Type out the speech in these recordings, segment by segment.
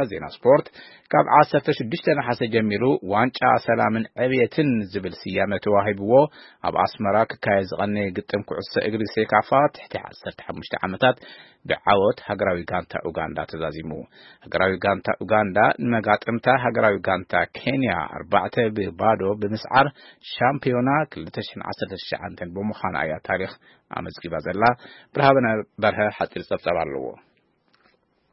ዜና ስፖርት። ካብ ዓሰርተ ሽዱሽተ ነሓሰ ጀሚሩ ዋንጫ ሰላምን ዕብየትን ዝብል ስያመ ተዋሂብዎ ኣብ ኣስመራ ክካየድ ዝቐነየ ግጥም ኩዕሶ እግሪ ሴካፋ ትሕቲ ዓሰርተ ሓሙሽተ ዓመታት ብዓወት ሃገራዊ ጋንታ ኡጋንዳ ተዛዚሙ። ሃገራዊ ጋንታ ኡጋንዳ ንመጋጥምታ ሃገራዊ ጋንታ ኬንያ ኣርባዕተ ብባዶ ብምስዓር ሻምፒዮና ክልተ ሽሕን ዓሰርተ ትሽዓተን ብምዃና እያ ታሪኽ ኣመዝጊባ ዘላ። ብርሃነ በርሀ ሓፂር ጸብጻብ ኣለዎ።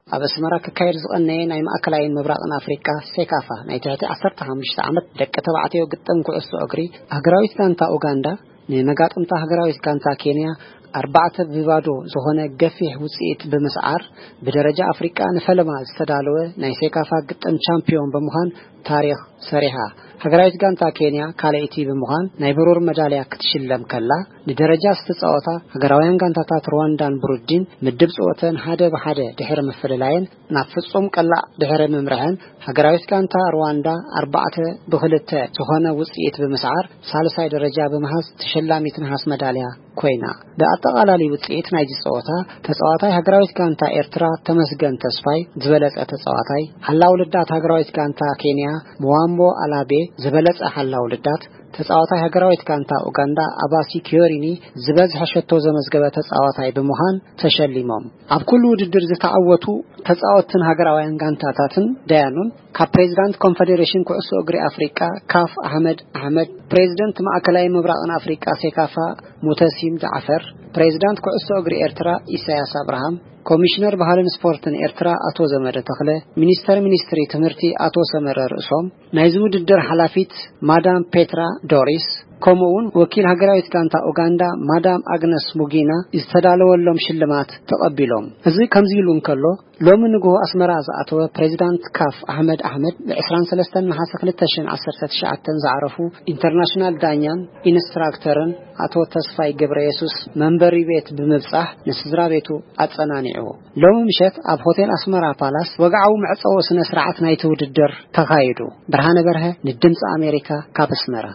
ኣብ ኣስመራ ክካየድ ዝቐነየ ናይ ማእከላይን ምብራቕን ኣፍሪቃ ሴካፋ ናይ ትሕቲ ዓሰርተ ሓሙሽተ ዓመት ደቂ ተባዕትዮ ግጥም ኩዕሶ እግሪ፣ ሃገራዊት ጋንታ ኡጋንዳ ንመጋጥምታ ሃገራዊት ጋንታ ኬንያ ኣርባዕተ ብባዶ ዝኾነ ገፊሕ ውጽኢት ብምስዓር፣ ብደረጃ ኣፍሪቃ ንፈለማ ዝተዳለወ ናይ ሴካፋ ግጥም ቻምፒዮን ብምዃን ታሪኽ ሰሪሓ። ሃገራዊት ጋንታ ኬንያ ካልኣይቲ ብምዃን ናይ ብሩር መዳልያ ክትሽለም ከላ፣ ንደረጃ ዝተጻወታ ሃገራውያን ጋንታታት ሩዋንዳን ብሩንዲን ምድብ ጽወተን ሓደ ብሓደ ድሕሪ ምፍልላየን፣ ናብ ፍጹም ቀላዕ ድሕሪ ምምርሐን፣ ሃገራዊት ጋንታ ሩዋንዳ ኣርባዕተ ብክልተ ዝኾነ ውጽኢት ብምስዓር ሳልሳይ ደረጃ ብምሃዝ ተሸላሚት ነሃስ መዳልያ ኮይና። ብኣጠቓላሊ ውጽኢት ናይዚ ጸወታ፣ ተጻዋታይ ሃገራዊት ጋንታ ኤርትራ ተመስገን ተስፋይ ዝበለጸ ተጻዋታይ፣ ሓላው ልዳት ሃገራዊት ጋንታ ኬንያ ምዋምቦ ኣላቤ ዝበለጸ ሓላው ልዳት፣ ተጻዋታይ ሃገራዊት ጋንታ ኡጋንዳ ኣባሲ ኪዮሪኒ ዝበዝሐ ሸቶ ዘመዝገበ ተጻዋታይ ብምዃን ተሸሊሞም። ኣብ ኩሉ ውድድር ዝተዓወቱ ተጻወትን ሃገራውያን ጋንታታትን ዳያኑን፣ ካብ ፕሬዚዳንት ኮንፈዴሬሽን ኩዕሶ እግሪ ኣፍሪቃ ካፍ ኣሕመድ ኣሕመድ፣ ፕሬዚደንት ማእከላይ ምብራቕን ኣፍሪቃ ሴካፋ ሙተሲም ጃዕፈር፣ ፕሬዚዳንት ኩዕሶ እግሪ ኤርትራ ኢሳያስ ኣብርሃም፣ ኮሚሽነር ባህልን ስፖርትን ኤርትራ ኣቶ ዘመደ ተኽለ፣ ሚኒስተር ሚኒስትሪ ትምህርቲ ኣቶ ሰመረ ርእሶም፣ ናይዚ ውድድር ሓላፊት ማዳም ፔትራ ዶሪስ፣ ከምኡ እውን ወኪል ሃገራዊት ጋንታ ኡጋንዳ ማዳም ኣግነስ ሙጊና ዝተዳለወሎም ሽልማት ተቐቢሎም። እዚ ከምዚ ኢሉ እንከሎ፣ ሎሚ ንግሆ ኣስመራ ዝኣተወ ፕሬዚዳንት ካፍ ኣሕመድ ኣሕመድ፣ ብ ዕስራን ሰለስተን ነሓሰ ክልተ ሽሕን ዓሰርተ ትሽዓተን ዝዓረፉ ኢንተርናሽናል ዳኛን ኢንስትራክተርን ኣቶ ተስፋይ ገብረ የሱስ መንበሪ ቤት ብምብጻሕ ንስድራ ቤቱ ኣጸናኒዑ። ሎሚ ምሸት ኣብ ሆቴል ኣስመራ ፓላስ ወግዓዊ መዕጸዊ ስነ ስርዓት ናይቲ ውድድር ተኻይዱ። ብርሃነ በርሀ ንድምፂ ኣሜሪካ ካብ ኣስመራ።